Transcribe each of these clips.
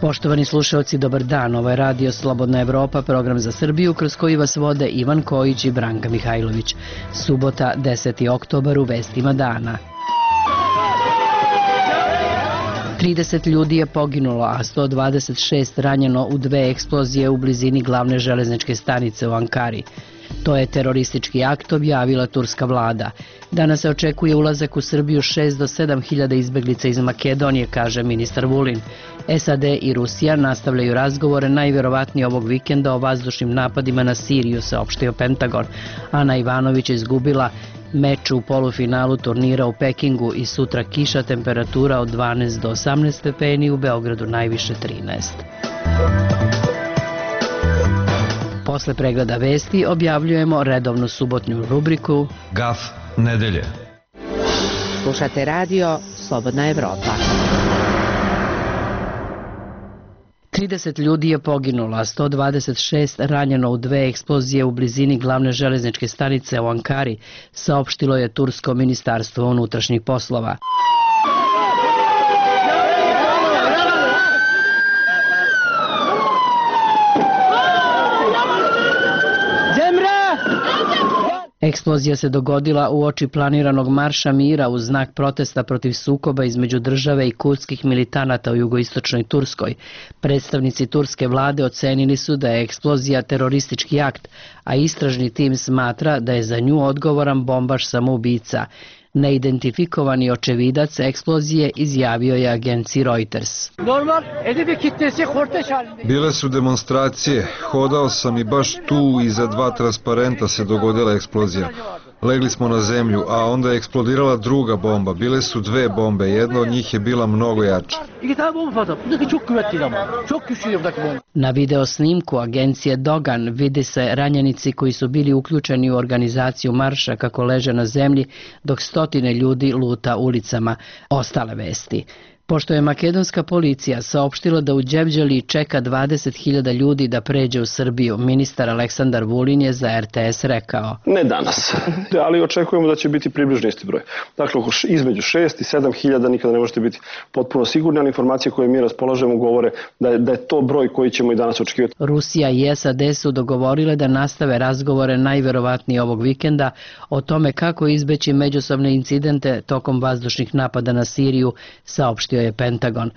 Poštovani slušalci, dobar dan. Ovo je Radio Slobodna Evropa, program za Srbiju kroz koji vas vode Ivan Kojić i Branka Mihajlović. Subota, 10. oktobar, u vestima dana. 30 ljudi je poginulo, a 126 ranjeno u dve eksplozije u blizini glavne železničke stanice u Ankari. To je teroristički akt, objavila turska vlada. Danas se očekuje ulazak u Srbiju 6 do 7 hiljada izbeglica iz Makedonije, kaže ministar Vulin. SAD i Rusija nastavljaju razgovore najvjerovatnije ovog vikenda o vazdušnim napadima na Siriju, saopštio Pentagon. Ana Ivanović je izgubila meč u polufinalu turnira u Pekingu i sutra kiša, temperatura od 12 do 18 stepeni, u Beogradu najviše 13. Posle pregleda vesti objavljujemo redovnu subotnju rubriku Gaf nedelje. Slušate radio Slobodna Evropa. 30 ljudi je poginulo, a 126 ranjeno u dve eksplozije u blizini glavne železničke stanice u Ankari, saopštilo je tursko ministarstvo unutrašnjih poslova. Eksplozija se dogodila uoči planiranog marša mira u znak protesta protiv sukoba između države i kurdskih militanata u jugoistočnoj Turskoj. Predstavnici turske vlade ocenili su da je eksplozija teroristički akt, a istražni tim smatra da je za nju odgovoran bombaš samoubica. Neidentifikovani očevidac eksplozije izjavio je agenciji Reuters. Bile su demonstracije, hodao sam i baš tu iza dva transparenta se dogodila eksplozija. Legli smo na zemlju, a onda je eksplodirala druga bomba. Bile su dve bombe, jedna od njih je bila mnogo jača. Na video snimku agencije Dogan vidi se ranjenici koji su bili uključeni u organizaciju marša kako leže na zemlji, dok stotine ljudi luta ulicama. Ostale vesti. Pošto je makedonska policija saopštila da u Đevđeliji čeka 20.000 ljudi da pređe u Srbiju, ministar Aleksandar Vulin je za RTS rekao: Ne danas, ali očekujemo da će biti približno isti broj. Dakle, između 6 i 7.000, nikada ne možete biti potpuno sigurni, ali informacije koje mi raspolažemo govore da je to broj koji ćemo i danas očekivati. Rusija i SAD su dogovorile da nastave razgovore najverovatnije ovog vikenda o tome kako izbeći međusobne incidente tokom vazdušnih napada na Siriju, saopštio je Pentagon.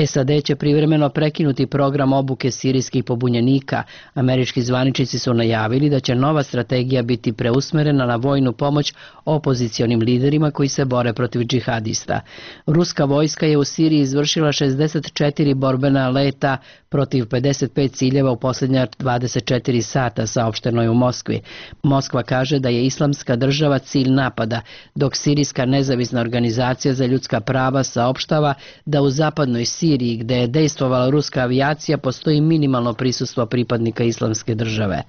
SAD će privremeno prekinuti program obuke sirijskih pobunjenika. Američki zvaničnici su najavili da će nova strategija biti preusmerena na vojnu pomoć opozicionim liderima koji se bore protiv džihadista. Ruska vojska je u Siriji izvršila 64 borbena leta protiv 55 ciljeva u posljednja 24 sata, saopšteno je u Moskvi. Moskva kaže da je Islamska država cilj napada, dok Sirijska nezavisna organizacija za ljudska prava saopštava da u zapadnoj Siriji, gde je dejstvovala ruska avijacija, postoji minimalno prisustvo pripadnika Islamske države.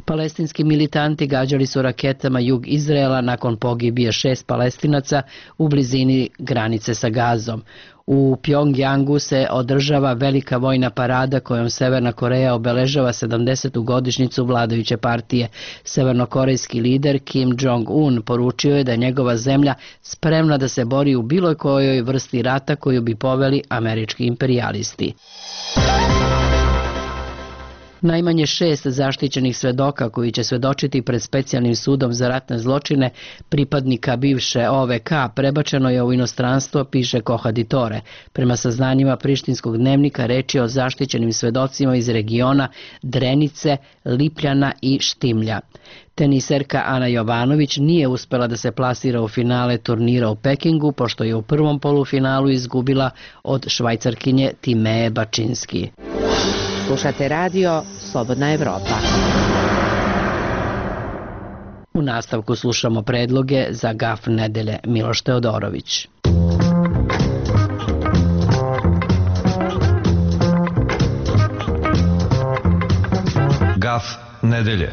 Palestinski militanti gađali su raketama jug Izraela nakon pogibije 6 Palestinaca u blizini granice sa Gazom. U Pjongjangu se održava velika vojna parada kojom Severna Koreja obeležava 70. godišnjicu vladajuće partije. Severnokorejski lider Kim Jong-un poručio je da je njegova zemlja spremna da se bori u bilo kojoj vrsti rata koju bi poveli američki imperijalisti. Najmanje 6 zaštićenih svedoka koji će svedočiti pred specijalnim sudom za ratne zločine pripadnika bivše OVK prebačeno je u inostranstvo, piše Kohaditore. Prema saznanjima prištinskog dnevnika reč je o zaštićenim svedocima iz regiona Drenice, Lipljana i Štimlja. Teniserka Ana Jovanović nije uspela da se plasira u finale turnira u Pekingu, pošto je u prvom polufinalu izgubila od Švajcarkinje Timee Bačinski. Slušate radio Slobodna Evropa. U nastavku slušamo predloge za Gaf nedelje. Miloš Teodorović. Gaf nedelje.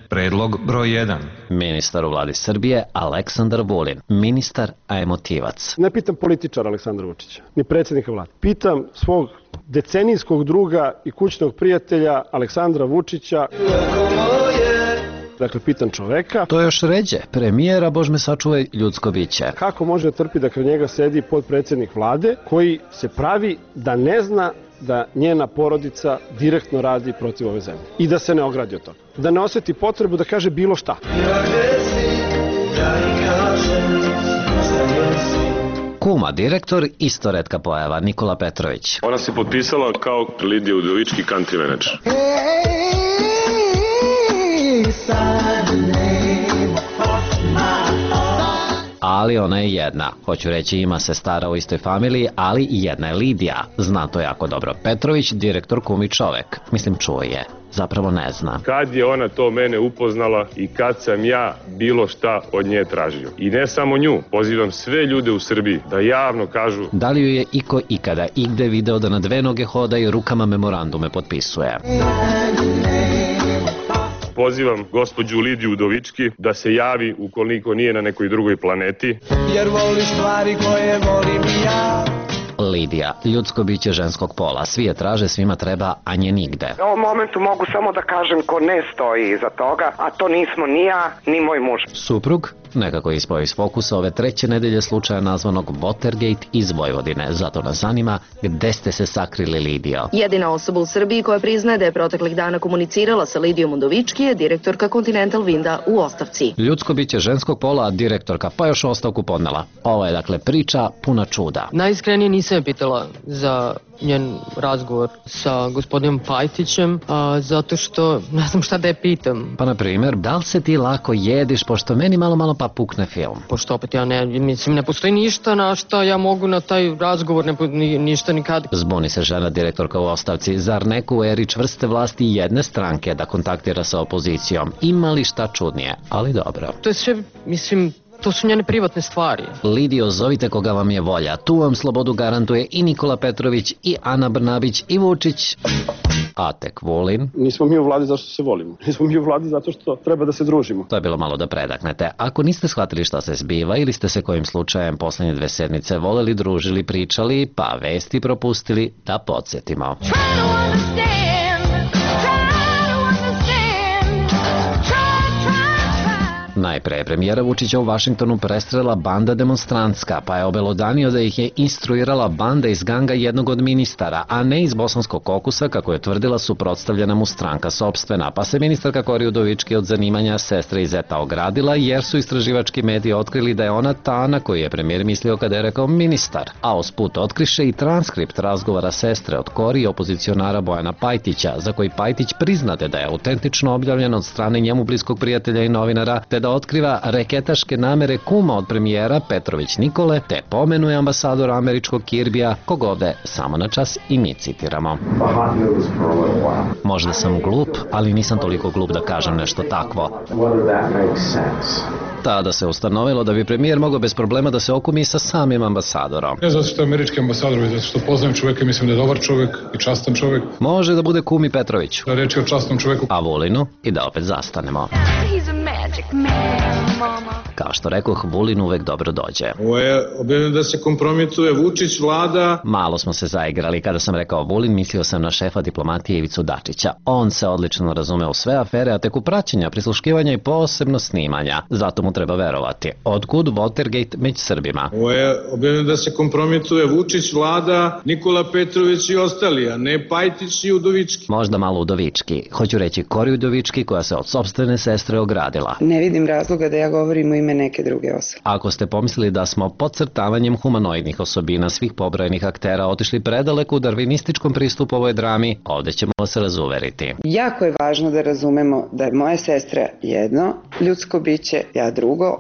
Predlog broj 1. Ministar u vladi Srbije Aleksandar Vulin. Ministar, a emotivac. Ne pitam političara Aleksandra Vučića, ni predsjednika vlade. Pitam svog decenijskog druga i kućnog prijatelja Aleksandra Vučića. Dakle, pitan čoveka. To je još ređe. Premijera, Bož me sačuvaj, ljudsko biće. Kako može da trpi da kraj njega sedi podpredsjednik vlade koji se pravi da ne zna da njena porodica direktno radi protiv ove zemlje i da se ne ogradi od toga. Da ne oseti potrebu da kaže bilo šta. Kuma direktor, isto retka pojava, Nikola Petrović. Ona se potpisala kao Lidija Udovički, country manager. Ali ona je jedna. Hoću reći, ima se stara u istoj familiji, ali jedna je Lidija. Zna to jako dobro. Petrović, direktor, kumi čovek. Mislim, čuje. Zapravo ne zna. Kad je ona to mene upoznala i kad sam ja bilo šta od nje tražio. I ne samo nju, pozivam sve ljude u Srbiji da javno kažu da li ju je iko ikada igde video da na dve noge hoda i rukama memorandume potpisuje. Pozivam gospođu Lidiju Udovički da se javi ukoliko nije na nekoj drugoj planeti. Jer voli stvari koje volim i ja. Lidija, ljudsko biće ženskog pola. Svi je traže, svima treba, a nje nigde. U ovom momentu mogu samo da kažem ko ne stoji iza toga, a to nismo ni ja, ni moj muž. Suprug nekako je ispao iz fokusa ove treće nedelje slučaja nazvanog Watergate iz Vojvodine. Zato nas zanima gde ste se sakrili, Lidijo. Jedina osoba u Srbiji koja priznaje da je proteklih dana komunicirala sa Lidijom Udovički je direktorka Continental Winda u ostavci. Ljudsko biće ženskog pola, direktorka, pa još ostavku podnela. Ovo je dakle priča puna čuda. Najiskrenije nisam je pitala za njen razgovor sa gospodinom Pajtićem, zato što ne znam šta da je pitam. Pa na primjer, da li se ti lako jediš, pošto meni malo pa pukne film? Pošto opet ja ne postoji ništa na šta ja mogu na taj razgovor, ništa nikad. Zbuni se žena direktorka u ostavci. Zar neko u eri čvrste vlasti jedne stranke da kontaktira sa opozicijom? Ima li šta čudnije? Ali dobro. To je sve, to su njene privatne stvari. Lidijo, zovite koga vam je volja. Tu vam slobodu garantuje i Nikola Petrović, i Ana Brnabić, i Vučić, a tek Vulin. Nismo mi u vladi zato što se volimo. Nismo mi u vladi zato što treba da se družimo. To je bilo malo da predaknete. Ako niste shvatili šta se zbiva ili ste se kojim slučajem poslednje 2 sedmice voleli, družili, pričali, pa vesti propustili, da podsjetimo. Najpre je premijera Vučića u Vašingtonu prestrela banda demonstrantska, pa je obelodanio da ih je instruirala banda iz ganga jednog od ministara, a ne iz bosanskog kokusa, kako je tvrdila suprotstavljena mu stranka sopstvena, pa se ministarka Kori Udovički od zanimanja sestre i zeta ogradila, jer su istraživački mediji otkrili da je ona ta na koju je premijer mislio kada je rekao ministar, a usput otkriše i transkript razgovora sestre od Kori i opozicionara Bojana Pajtića, za koji Pajtić priznade da je autentično objavljen od strane njemu bliskog prijatelja i novinara, te da otkriva reketaške namere kuma od premijera Petrović Nikole, te pomenuje ambasadora američkog Kirbija, kog ovde samo na čas i mi citiramo. Možda sam glup, ali nisam toliko glup da kažem nešto takvo. Tada se ustanovilo da bi premijer mogao bez problema da se okumi sa samim ambasadorom. Ne zato što je američki ambasador, već zato što poznajem čoveka i mislim da je dobar čovek i častan čovek. Može da bude kumi Petroviću. Da reći o častnom čoveku. A Vulinu i da opet zastanemo. Kao što rekoh, Vulin uvek dobro dođe. Ovo je objavljeno da se kompromituje Vučić, vlada. Malo smo se zaigrali. Kada sam rekao Vulin, mislio sam na šefa diplomatije Ivicu Dačića. On se odlično razume u sve afere, a tek u praćenja, prisluškivanja i posebno snimanja. Zato mu treba verovati. Otkud Watergate među Srbima? Ovo je objavljeno da se kompromituje Vučić, vlada, Nikola Petrović i ostali, a ne Pajtić i Udovički. Možda malo Udovički. Hoću reći Kori Udovički, koja se od sopstvene sestre ogradila. Ne vidim razloga da ja govorim u ime neke druge osobe. Ako ste pomislili da smo podcrtavanjem humanoidnih osobina svih pobrojenih aktera otišli predaleko u darvinističkom pristupu ovoj drami, ovde ćemo vas razuveriti. Jako je važno da razumemo da je moja sestra jedno ljudsko biće, ja drugo.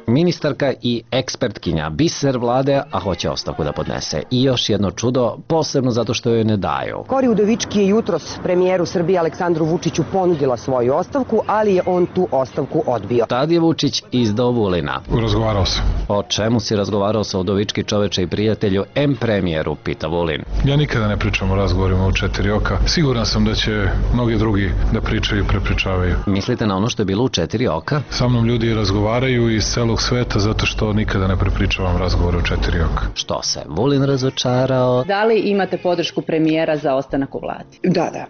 Ministarka i ekspertkinja, biser vlade, a hoće ostavku da podnese. I još jedno čudo, posebno zato što joj ne daju. Kori Udovički je jutros premijeru Srbije Aleksandru Vučiću ponudila svoju ostavku, ali je on tu ostavku odbio. Tad je Vučić izdao Vulina. Razgovarao sam. O čemu si razgovarao sa Udovički, čoveče i prijatelju, premijeru, pita Vulin. Ja nikada ne pričam o razgovorima u 4 oka. Siguran sam da će mnogi drugi da pričaju i prepričavaju. Mislite na ono što je bilo u 4 oka? Sa mnom ljudi razgovaraju iz celog sveta zato što nikada ne prepričavam razgovor o 4 oka. Što se Vulin razočarao? Da li imate podršku premijera za ostanak u vladi? Da,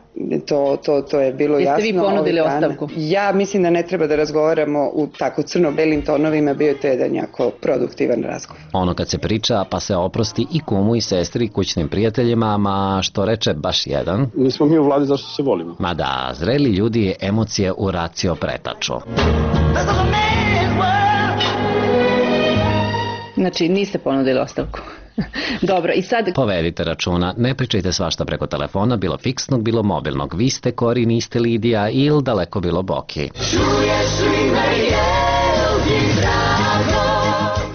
to je bilo jasno. Jeste vi ponudili ostavku? Ja mislim da ne treba da razgovaramo u tako crno-belim tonovima, bio je to jedan jako produktivan razgovor. Ono kad se priča pa se oprosti i kumu i sestri, kućnim prijateljima, ma što reče baš jedan. Nismo mi u vladi zašto se volimo. Ma da, zreli ljudi emocije u racio pretaču. Znači, niste ponudili ostavku. Dobro, i sad... Povedite računa, ne pričajte svašta preko telefona, bilo fiksnog, bilo mobilnog. Vi ste Kori, niste Lidija ili daleko bilo Boki.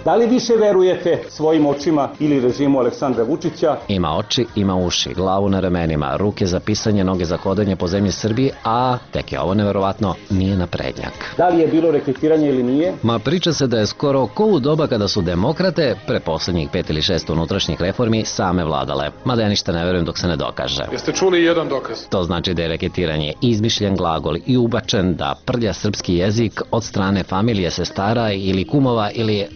Da li više verujete svojim očima ili režimu Aleksandra Vučića? Ima oči, ima uši, glavu na ramenima, ruke za pisanje, noge za hodanje po zemlji Srbiji, a tek je ovo neverovatno, nije naprednjak. Da li je bilo rekrutiranje ili nije? Ma priča se da je skoro ko u doba kada su demokrate, pre poslednjih 5 ili 6 unutrašnjih reformi, same vladale. Mada ja ništa ne verujem dok se ne dokaže. Jeste čuli jedan dokaz? To znači da je rekrutiranje izmišljen glagol i ubačen da prlja srpski jezik od strane familije sestara ili kumova ili...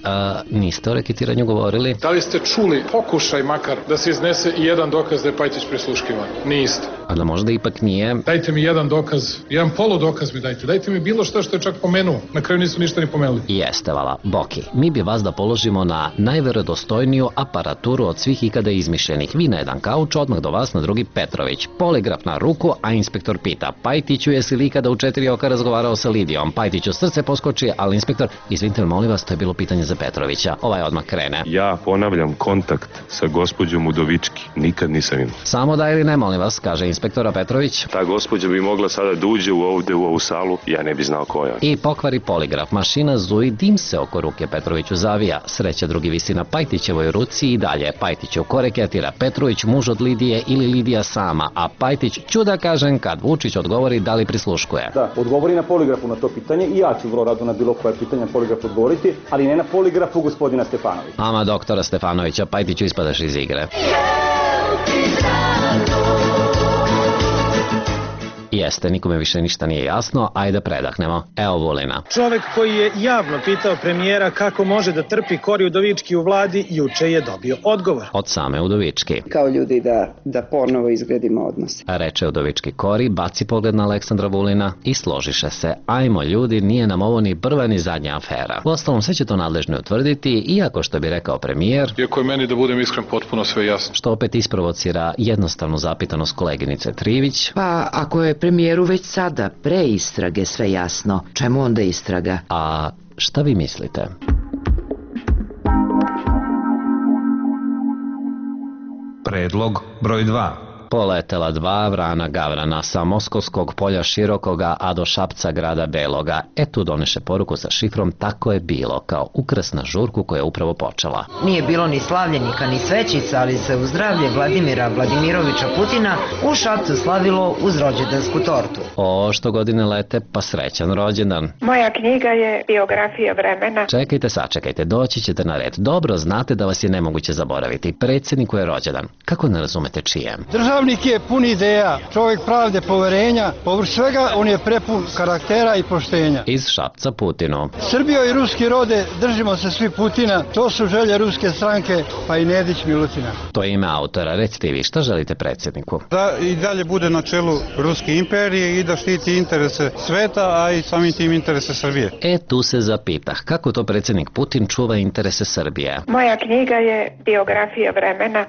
Niste o reketiranju govorili? Da li ste čuli pokušaj makar da se iznese i jedan dokaz da je Pajtić prisluškivan? Niste. A da možda ipak nije? Dajte mi jedan dokaz, jedan poludokaz mi dajte. Dajte mi bilo što je čak pomenuo. Na kraju nisu ništa ni pomenuli. Jeste, vala. Boki, mi bi vas da položimo na najverodostojniju aparaturu od svih ikada izmišljenih. Vi na jedan kauč, odmah do vas na drugi Petrović. Poligraf na ruku, a inspektor pita: Pajtiću, jesi li ikada u 4 oka razgovarao sa Lidijom? Pajtiću srce poskoči, ali inspektor: izvinite, molim vas, to je bilo pitanje za Petrovića. Ovaj odmah krene. Ja ponavljam kontakt sa gospođom Udovički. Nikad nisam imao. Samo da ili ne, molim vas, kaže inspektora Petrović. Ta gospođa bi mogla sada da uđe ovde u ovu salu, ja ne bi znao ko je. I pokvari poligraf. Mašina zuji, dim se oko ruke Petroviću zavija. Sreća drugi visi na Pajtićevoj ruci i dalje. Pajtićev ko reketira: Petrović muž od Lidije ili Lidija sama, a Pajtić ću da kažem kad Vučić odgovori da li prisluškuje. Da, odgovori na poligrafu na to pitanje i ja ću vrlo rado na bilo koje pitanje poligraf odgovoriti, ali ne na poligrafu gospodina Stefanovića. Ama doktora Stefanovića, Pajtiću ispadaš iz igre. Jeste, nikome više ništa nije jasno, ajde predahnemo. Evo Vulina. Čovek koji je javno pitao premijera kako može da trpi Kori Udovički u vladi, juče je dobio odgovor. Od same Udovički. Kao ljudi da ponovo izgradimo odnose. Reče Udovički Kori, baci pogled na Aleksandra Vulina i složiše se: ajmo ljudi, nije nam ovo ni prva ni zadnja afera. Uostalom, sve će to nadležni utvrditi, iako što bi rekao premijer, iako je meni, da budem iskren, potpuno sve jasno. Što opet isprovocira jednostavnu zapitanost koleginice Trivić. Pa ako je premijeru već sada pre istrage sve jasno, čemu onda istraga? A šta vi mislite? Predlog broj 2. Poletela 2 vrana gavrana sa Moskovskog polja širokoga, a do Šapca grada Beloga. Tu doneše poruku sa šifrom: tako je bilo, kao ukras na žurku koja je upravo počela. Nije bilo ni slavljenika ni svećica, ali se u zdravlje Vladimira Vladimirovića Putina u Šapcu slavilo uz rođendansku tortu. O, što godine lete, pa srećan rođendan. Moja knjiga je biografija vremena. Čekajte, sačekajte, doći ćete na red. Dobro znate da vas je nemoguće zaboraviti. Predsjedniku je rođendan. Kako ne razumete čijem? Državnik je pun ideja, čovjek pravde, poverenja, povrh svega on je prepun karaktera i poštenja. Iz Šapca Putinu. Srbijo i ruski rode, držimo se svi Putina, to su želje ruske stranke, pa i Nedić Milutina. To je ime autora, recite vi, šta želite predsjedniku? Da i dalje bude na čelu Ruske imperije i da štiti interese sveta, a i samim tim interese Srbije. Tu se zapitah, kako to predsjednik Putin čuva interese Srbije? Moja knjiga je biografija vremena.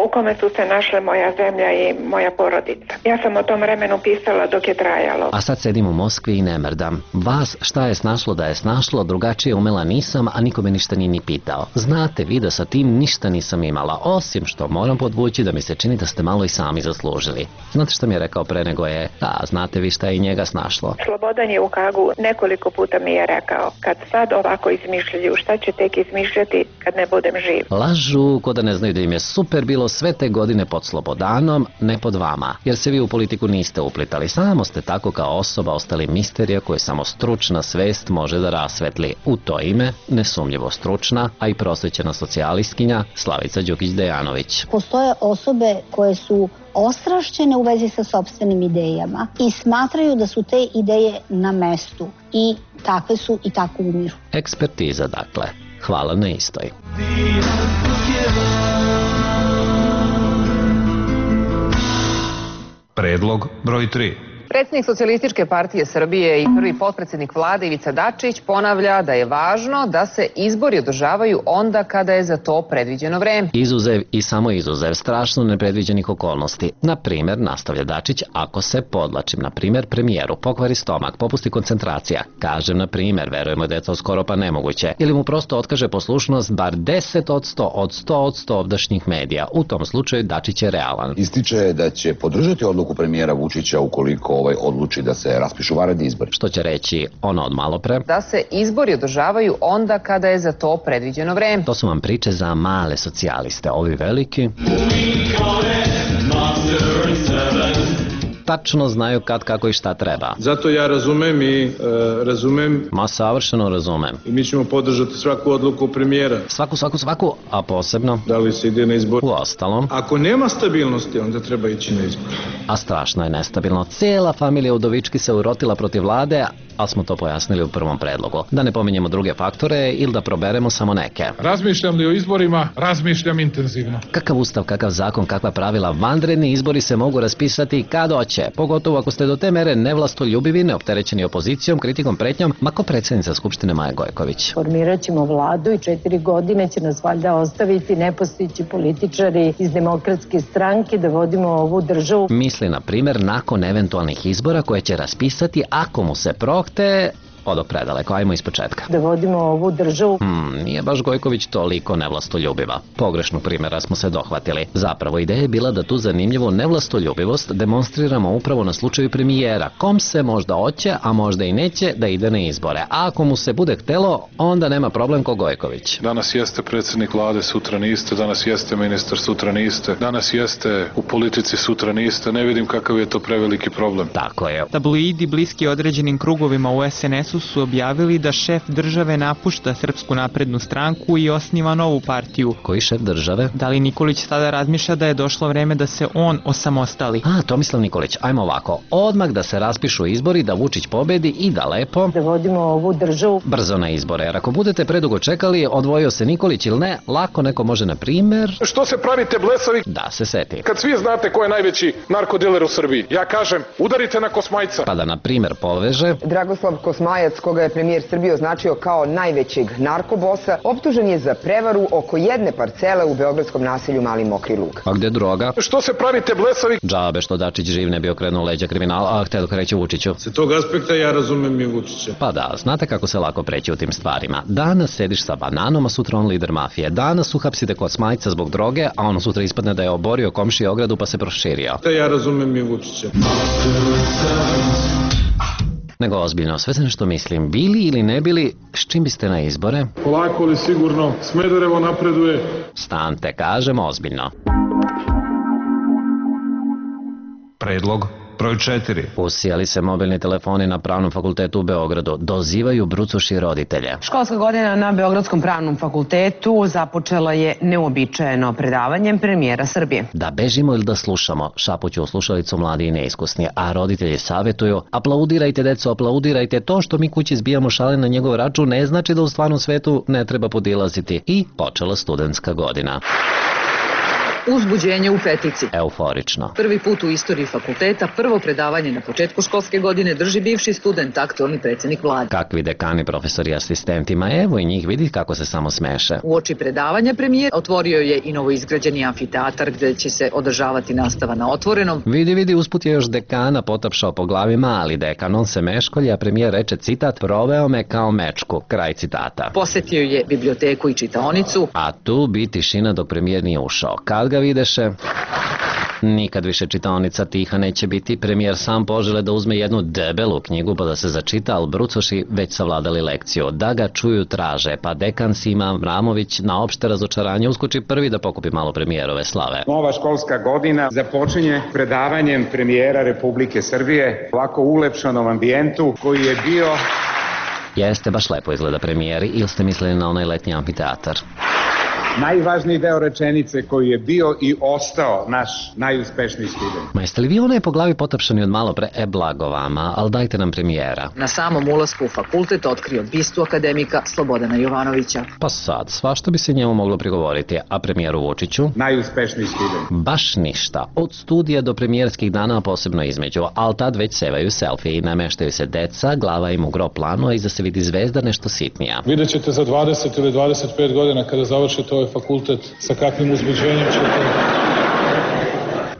U kome su se našle moja zemlja i moja porodica. Ja sam o tom vremenu pisala dok je trajalo. A sad sedim u Moskvi i ne mrdam. Vas šta je snašlo da je snašlo, drugačije umela nisam, a nikome ništa nije ni pitao. Znate vi da sa tim ništa nisam imala, osim što moram podvući da mi se čini da ste malo i sami zaslužili. Znate šta mi je rekao pre nego je: znate vi šta je i njega snašlo? Slobodan je u Hagu nekoliko puta mi je rekao: kad sad ovako izmišljaju, šta će tek izmišljati kad ne budem živ? Lažu ko da ne znaju da im je super bilo sve te godine pod Slobodanom, ne pod vama, jer se vi u politiku niste uplitali, samo ste tako kao osoba ostali misterija koje samo stručna svest može da rasvetli. U to ime, nesumnjivo stručna, a i prosvećena socijalistkinja Slavica Đukić-Dejanović. Postoje osobe koje su ostrašćene u vezi sa sopstvenim idejama i smatraju da su te ideje na mestu i takve su i tako umiru. Ekspertiza, dakle. Hvala na istoj. Predlog broj 3. Predsjednik Socijalističke partije Srbije i prvi potpredsjednik vlade Ivica Dačić ponavlja da je važno da se izbori održavaju onda kada je za to predviđeno vreme. Izuzev i samo izuzev strašno nepredviđenih okolnosti. Na primjer, nastavlja Dačić, ako se, podlačim, na primjer, premijeru pokvari stomak, popusti koncentracija, kažem na primjer, verujemo da je to skoro pa nemoguće, ili mu prosto otkaže poslušnost bar 10% od 100% ovdašnjih medija. U tom slučaju Dačić je realan. Ističe da će podržati odluku premijera Vučića ukoliko odluči da se raspišu vanredni izbori. Što će reći ono od malopre? Da se izbori održavaju onda kada je za to predviđeno vreme. To su vam priče za male socijaliste, ovi veliki tačno znaju kad, kako i šta treba. Zato ja razumem Ma savršeno razumem. I mi ćemo podržati svaku odluku premijera. Svaku, a posebno da li se ide na izbor. U ostalom, ako nema stabilnosti, onda treba ići na izbor. A strašno je nestabilno. Cijela familija Udovički se urotila protiv vlade, ali smo to pojasnili u prvom predlogu. Da ne pominjemo druge faktore ili da proberemo samo neke. Razmišljam li o izborima? Razmišljam intenzivno. Kakav ustav, kakav zakon, kakva pravila, vanredni izbori se mogu raspisati kad hoće. Pogotovo ako ste do te mere nevlastoljubivi, neopterećeni opozicijom, kritikom, pretnjom, mako predsjednica Skupštine Maja Gojković. Formirat ćemo vladu i 4 godine će nas valjda ostaviti nepostojeći političari iz Demokratske stranke da vodimo ovu državu. Misli, na primjer, nakon eventualnih izbora koje će raspisati ako mu se prohte odo predaleko, ajmo ispočetka. Da vodimo ovu državu. Nije baš Gojković toliko nevlastoljubiva. Pogrešnog primjera smo se dohvatili. Zapravo ideja je bila da tu zanimljivu nevlastoljubivost demonstriramo upravo na slučaju premijera. Kom se možda hoće, a možda i neće da ide na izbore. A ako mu se bude htelo, onda nema problem ko Gojković. Danas jeste predsjednik vlade, sutra niste. Danas jeste ministar, sutra niste. Danas jeste u politici, sutra niste. Ne vidim kakav je to preveliki problem. Tako je. Tabloidi bliski određenim krugovima u SNS su objavili da šef države napušta Srpsku naprednu stranku i osniva novu partiju. Koji šef države? Da li Nikolić sada razmišlja da je došlo vreme da se on osamostali? Tomislav Nikolić, ajmo ovako. Odmah da se raspišu izbori, da Vučić pobedi i da lepo da vodimo ovu državu brzo na izbore. Jer ako budete predugo čekali, odvojio se Nikolić ili ne, lako neko može, na primjer... Što se pravite blesavi? Da se seti. Kad svi znate ko je najveći narkodiler u Srbiji. Ja kažem, udarite na Kosmajca. Pa da, na primjer, poveže... Dragoslav Kosmajac, koga je premijer Srbije označio kao najvećeg narkobosa, optužen je za prevaru oko jedne parcele u beogradskom naselju Mali Mokri Lug. A gde droga? Što se pravite blesavi? Džabe što Dačić živ ne bi okrenuo leđa kriminala, a htio da kreće Vučiću. Sa tog aspekta ja razumem i Vučića. Pa da, znate kako se lako preći u tim stvarima. Danas sediš sa bananom, a sutra on lider mafije. Danas uhapsite Kosmajca zbog droge, a ono sutra ispadne da je oborio komšije ogradu pa se proširio. Ja razumem i Vučića. Nego ozbiljno, sve se nešto mislim, bili ili ne bili, s čim biste na izbore? Polako li sigurno, Smederevo napreduje. Stante, kažemo ozbiljno. Predlog broj 4. Usijali se mobilni telefoni na Pravnom fakultetu u Beogradu. Dozivaju brucoši roditelje. Školska godina na Beogradskom pravnom fakultetu započela je neuobičajeno predavanjem premijera Srbije. Da bežimo ili da slušamo, šapuću u slušalicu mladi i neiskusni, a roditelji savjetuju: aplaudirajte deco, aplaudirajte, to što mi kući zbijamo šale na njegov račun ne znači da u stvarnom svetu ne treba podilaziti. I počela studentska godina. Uzbuđenje u petici. Euforično. Prvi put u istoriji fakulteta prvo predavanje na početku školske godine drži bivši student, aktualni predsjednik vlade. Kakvi dekani, profesori i asistentima, evo i njih, vidi kako se samo smeše. Uoči predavanja premijer otvorio je i novoizgrađeni amfiteatar gdje će se održavati nastava na otvorenom. Vidi, usput je još dekana potapšao po glavi mali dekan, on se meškolja, a premijer reče, citat, proveo me kao mečku, kraj citata. Posetio je biblioteku i čitaonicu. A tu bi tišina dok premijer nije ušao. Kad ga videše... Nikad više čitaonica tiha neće biti. Premijer sam požele da uzme jednu debelu knjigu pa da se začita, ali brucoši već savladali lekciju. Da ga čuju traže, pa dekan Sima Avramović na opšte razočaranje uskoči prvi da pokupi malo premijerove slave. Nova školska godina započinje predavanjem premijera Republike Srbije u ovako ulepšanom ambijentu koji je bio... Jeste, baš lepo izgleda premijeri, ili ste mislili na onaj letnji amfiteatar? Najvažniji deo rečenice koji je bio i ostao naš najuspešniji student. Ma jeste li vi onaj po glavi potapšani od malo pre? Blago vama, ali dajte nam premijera. Na samom ulasku u fakultet otkrio bistu akademika Slobodana Jovanovića. Pa sad, svašta bi se njemu moglo prigovoriti, a premijeru Vučiću? Najuspešniji student. Baš ništa. Od studija do premijerskih dana, posebno između, ali tad već sevaju selfie i nameštaju se deca, glava im u gro planu, a iza se vidi zvezda nešto sitnija. Vidjet ćete za 20 ili 25 godina kada završite ovaj fakultet sa kakvim uzbuđenjem ćete...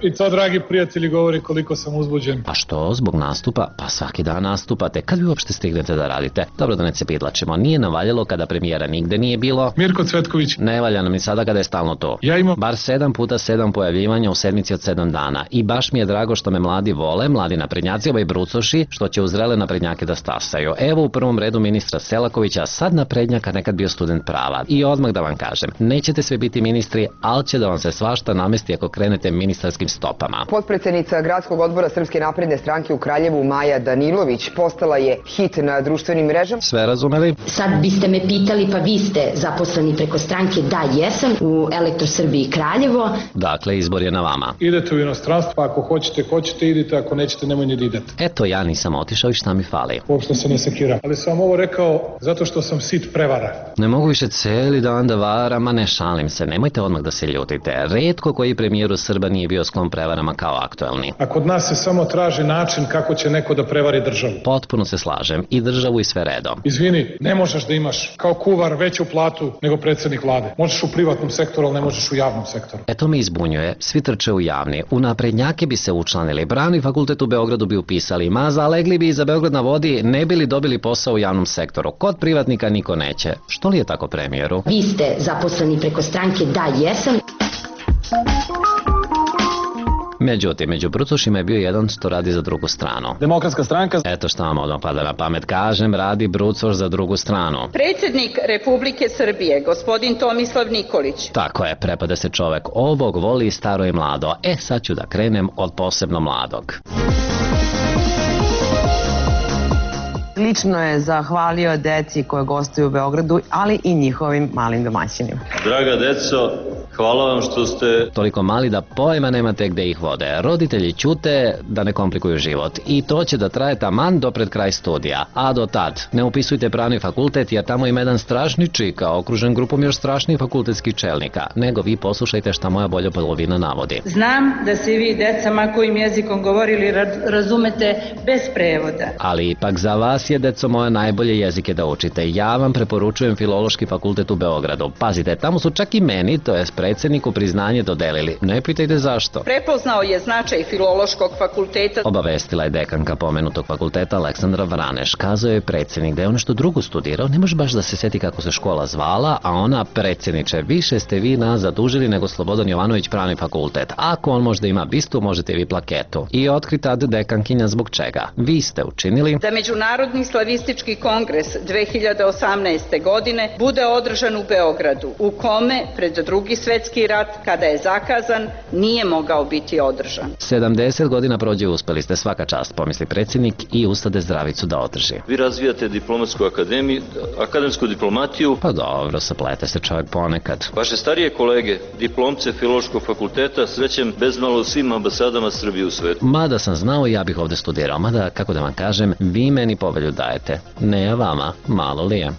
I to, dragi prijatelji, govori koliko sam uzbuđen. Pa što, zbog nastupa? Pa svaki dan nastupate. Kad vi uopšte stignete da radite? Dobro, da ne se pidlačimo. Nije navaljalo kada premijera nigde nije bilo. Mirko Cvetković. Ne valja nam ni sada kada je stalno to. Ja imam bar 7 puta 7 pojavljivanja u sedmici od 7 dana. I baš mi je drago što me mladi vole, mladi naprednjaci, ovaj brucoši, što će uzrele naprednjake da stasaju. Evo u prvom redu ministra Selakovića, sad naprednjaka, nekad bio student prava. I odmah da vam kažem, nećete sve biti ministri, ali će da vam se svašta namesti ako krenete ministarskim stopama. Potpredsednica Gradskog odbora Srpske napredne stranke u Kraljevu Maja Danilović postala je hit na društvenim mrežama. Sve razumeli? Sad biste me pitali, pa vi ste zaposleni preko stranke? Da, jesam, u Elektrosrbiji Kraljevo. Dakle, izbor je na vama. Idete u inostranstvo, pa ako hoćete idite, ako nećete nemoj ni da idete. Eto, ja nisam otišao i šta mi fali? Uopšte se ne sekiram. Ali sam ovo rekao zato što sam sit prevara. Ne mogu više cijeli dan da varam, a ne šalim se. Nemojte odmah da se ljutite. Retko koji premijeru Srba nije bio sklon prevarama kao aktuelni. A kod nas se samo traži način kako će neko da prevari državu. Potpuno se slažem. I državu i sve redom. Izvini, ne možeš da imaš kao kuvar veću platu nego predsjednik vlade. Možeš u privatnom sektoru, ali ne možeš u javnom sektoru. To me izbunjuje. Svi trče u javni. U naprednjake bi se učlanili. Pravni fakultet u Beogradu bi upisali maza, a legli bi i za Beograd na vodi, ne bi li dobili posao u javnom sektoru. Kod privatnika niko neće. Što li je tako, premijeru? Vi ste zaposleni preko stranke? Da, jesam. Međutim, među brucošima je bio jedan što radi za drugu stranu. Demokratska stranka. Eto šta vam odmah pada na pamet kažem, radi brucoš za drugu stranu. Predsjednik Republike Srbije, gospodin Tomislav Nikolić. Tako je, prepada se čovek. Ovog voli staro i mlado. Sad ću da krenem od posebno mladog. Lično je zahvalio deci koje gostuju u Beogradu, ali i njihovim malim domaćinima. Draga deco, hvala vam što ste... Toliko mali da pojma nemate gde ih vode. Roditelji ćute da ne komplikuju život. I to će da traje taman do pred kraj studija. A do tad, ne upisujte pravni fakultet jer tamo ima jedan strašni čika, okružen grupom još strašnih fakultetskih čelnika. Nego vi poslušajte šta moja bolja polovina navodi. Znam da se vi decama kojim jezikom govorili razumete bez prevoda. Ali ipak za vas je, deco moja, najbolje jezike da učite. Ja vam preporučujem Filološki fakultet u Beogradu. Pazite, tamo su čak i meni, to je predsjedniku, priznanje dodelili. Ne pitajte zašto. Prepoznao je značaj Filološkog fakulteta. Obavestila je dekanka pomenutog fakulteta Aleksandra Vraneš. Kazao je predsjednik da je on nešto drugo studirao. Ne može baš da se seti kako se škola zvala, a ona: predsjedniče, više ste vi nas zadužili nego Slobodan Jovanović pravni fakultet. Ako on možda ima bistu, možete vi plaketu. I otkri tad dekankinja zbog čega. Vi ste učinili da Međunarodni slavistički kongres 2018. godine bude održan u Beogradu, u kome pred Drugi svetski rat, kada je zakazan, nije mogao biti održan. 70 godina prođe, uspeli ste, svaka čast, pomisli predsjednik i ustade zdravicu da održi. Vi razvijate diplomatsku akademiju, akademsku diplomatiju. Pa dobro, saplete se čovjek ponekad. Vaše starije kolege, diplomce Filološkog fakulteta, srećem bezmalo u svim ambasadama Srbije u svetu. Mada sam znao, ja bih ovde studirao, mada, kako da vam kažem, vi meni povelju dajete. Ne ja vama, malo li je.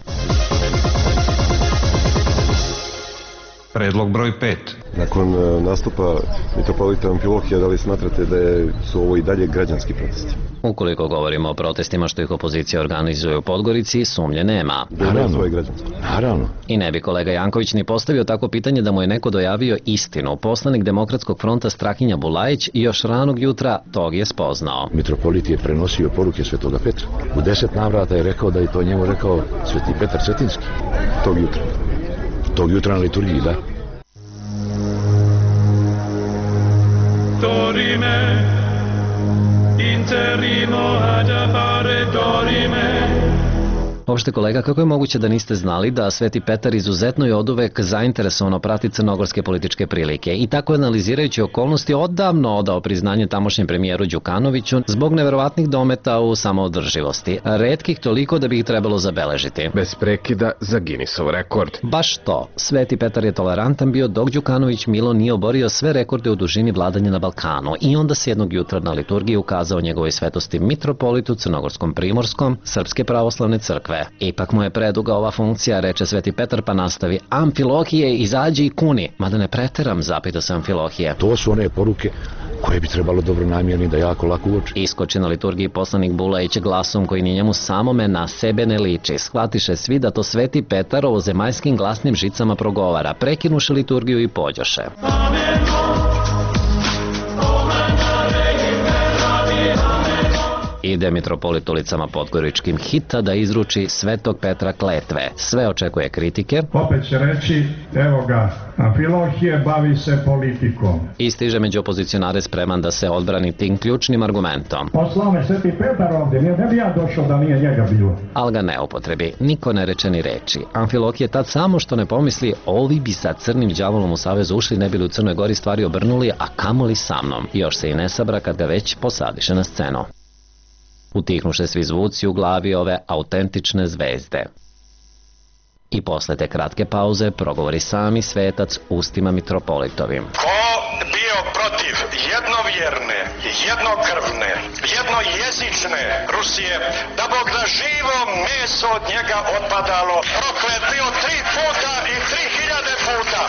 Predlog broj 5. Nakon nastupa mitropolita Amfilohija, da li smatrate da su ovo i dalje građanski protesti? Ukoliko govorimo o protestima što ih opozicija organizuje u Podgorici, sumnje nema. Naravno. I ne bi kolega Janković ni postavio tako pitanje da mu je neko dojavio istinu. Poslanik Demokratskog fronta Strahinja Bulajić još ranog jutra tog je spoznao. Mitropolit je prenosio poruke Svetoga Petra. U 10 navrata je rekao da je to njemu rekao Sveti Petar Cetinski. Tog jutra na liturgiji, da. To dorime, interimo ad appare dorime. Uopšte kolega, kako je moguće da niste znali da Sveti Petar izuzetno je oduvek zainteresovano prati crnogorske političke prilike i tako analizirajući okolnosti odavno odao priznanje tamošnjem premijeru Đukanoviću zbog neverovatnih dometa u samoodrživosti, retkih toliko da bi ih trebalo zabeležiti. Bez prekida za Guinnessov rekord. Baš to, Sveti Petar je tolerantan bio dok Đukanović Milo nije oborio sve rekorde u dužini vladanja na Balkanu i onda se jednog jutra na liturgiji ukazao njegovoj svetosti mitropolitu Crnogorskom Primorskom Srpske pravoslavne crkve. Ipak mu je preduga ova funkcija, reče Sveti Petar, pa nastavi: Amfilohije, izađi i kuni. Mada ne preteram, zapita se Amfilohije. To su one poruke koje bi trebalo dobronamjerni da jako lako uoči. Iskoči na liturgiji poslanik Bulajić glasom koji ni njemu samome na sebe ne liči. Shvatiše svi da to Sveti Petar ovozemaljskim glasnim žicama progovara. Prekinuše liturgiju i pođoše. Ide mitropolit ulicama podgoričkim hita da izruči Svetog Petra kletve. Sve očekuje kritike. Opet će reći, evo ga, Amfilohije bavi se politikom. I stiže među opozicionare spreman da se odbrani tim ključnim argumentom. Poslao me Sveti Petar ovdje, ne bi ja došao da nije njega bilo. Al ga ne upotrebi, niko ne reče ni reči. Amfilohije tad samo što ne pomisli, ovi bi sa crnim đavolom u savez ušli, ne bi li u Crnoj Gori stvari obrnuli, a kamoli sa mnom. Još se i ne sabra kad ga već posadiše na scenu. Utihnuše svi zvuci u glavi ove autentične zvezde. I posle te kratke pauze progovori sami svetac ustima mitropolitovim. Ko bio protiv jednovjerne, jednokrvne, jednojezične Rusije, da Bog da živo meso od njega otpadalo, proklet bio 3 puta i 3000 puta.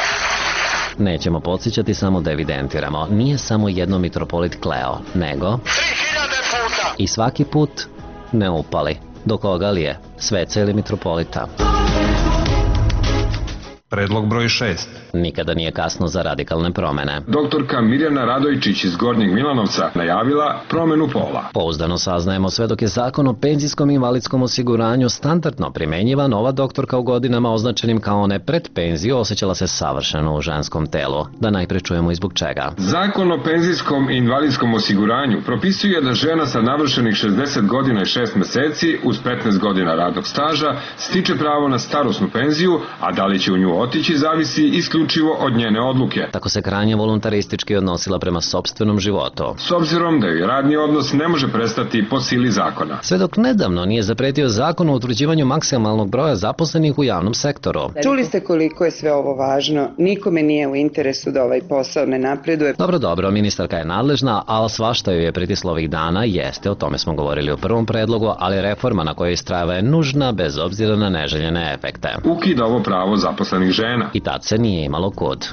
Nećemo podsjećati, samo da evidentiramo. Nije samo jedno mitropolit kleo, nego 3000 puta. I svaki put ne upali. Do koga li je? Sveca ili mitropolita? Predlog broj 6. Nikada nije kasno za radikalne promene. Doktorka Mirjana Radojičić iz Gornjeg Milanovca najavila promenu pola. Pouzdano saznajemo sve dok je zakon o penzijskom i invalidskom osiguranju standardno primenjivan, ova doktorka u godinama označenim kao one pred penziju osjećala se savršeno u ženskom telu. Da najpre čujemo i zbog čega. Zakon o penzijskom i invalidskom osiguranju propisuje da žena sa navršenih 60 godina i 6 meseci uz 15 godina radnog staža stiče pravo na starosnu penziju, a da li će u nju otići zavisi isključivo od njene odluke. Tako se krajnje voluntaristički odnosila prema sopstvenom životu. S obzirom da joj radni odnos ne može prestati po sili zakona. Sve dok nedavno nije zapretio zakon o utvrđivanju maksimalnog broja zaposlenih u javnom sektoru. Čuli ste koliko je sve ovo važno. Nikome nije u interesu da ovaj posao ne napreduje. Dobro, ministarka je nadležna, ali svašta joj je pritislo ovih dana, jeste, o tome smo govorili u prvom predlogu, ali reforma na kojoj istrajava je nužna bez obzira na neželjene efekte. Ukida ovo pravo zaposlenih žena. I tad se nije imalo kud.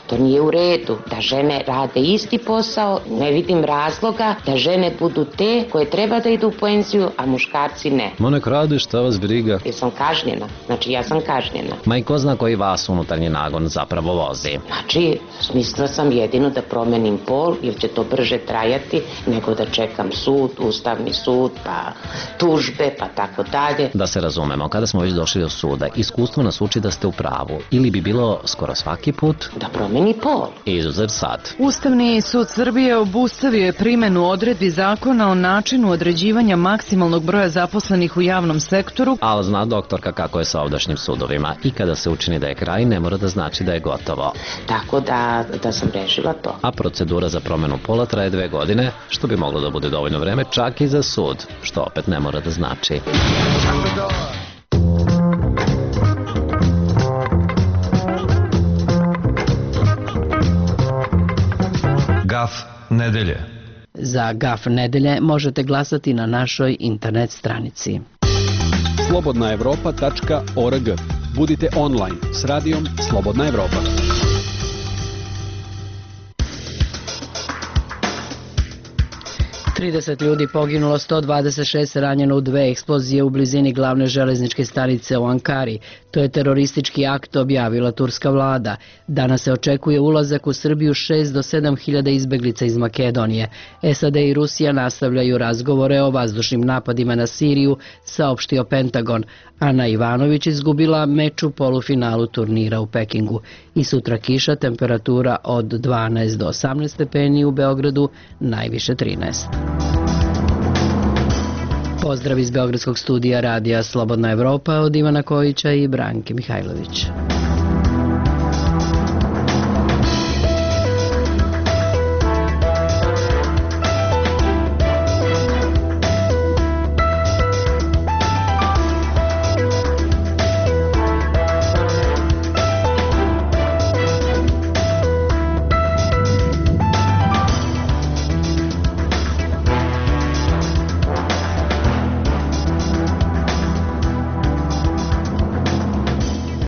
To nije u redu da žene rade isti posao, ne vidim razloga da žene budu te koje treba da idu u penziju, a muškarci ne. Ma nek rade, šta vas briga. Jesam kažnjena, znači ja sam kažnjena. Ma i ko zna koji vas unutarnji nagon zapravo vozi. Znači, smislila sam jedino da promenim pol, jer će to brže trajati nego da čekam sud, ustavni sud, pa tužbe, pa tako dalje. Da se razumemo, kada smo već došli do suda, iskustvo nas uči da ste u pravu, ili bi bilo skoro svaki put da promeni pol. Izuzev sad. Ustavni sud Srbije obustavio je primenu odredbi zakona o načinu određivanja maksimalnog broja zaposlenih u javnom sektoru. Ali zna doktorka kako je sa ovdašnjim sudovima. I kada se učini da je kraj, ne mora da znači da je gotovo. Tako da sam rešila to. A procedura za promenu pola traje 2 godine, što bi moglo da bude dovoljno vreme čak i za sud, što opet ne mora da znači. Gaf nedelje. Za Gaf nedelje možete glasati na našoj internet stranici. slobodnaevropa.org. Budite online s radijom Slobodna Evropa. 30 ljudi poginulo, 126 ranjeno u 2 eksplozije u blizini glavne železničke stanice u Ankari. To je teroristički akt, objavila turska vlada. Danas se očekuje ulazak u Srbiju 6 do 7 hiljada izbeglica iz Makedonije. SAD i Rusija nastavljaju razgovore o vazdušnim napadima na Siriju, saopštio Pentagon. Ana Ivanović izgubila meč u polufinalu turnira u Pekingu. I sutra kiša, temperatura od 12 do 18 stepeni u Beogradu, najviše 13. Pozdrav iz Beogradskog studija radija Slobodna Evropa od Ivana Kojića i Branke Mihajlović.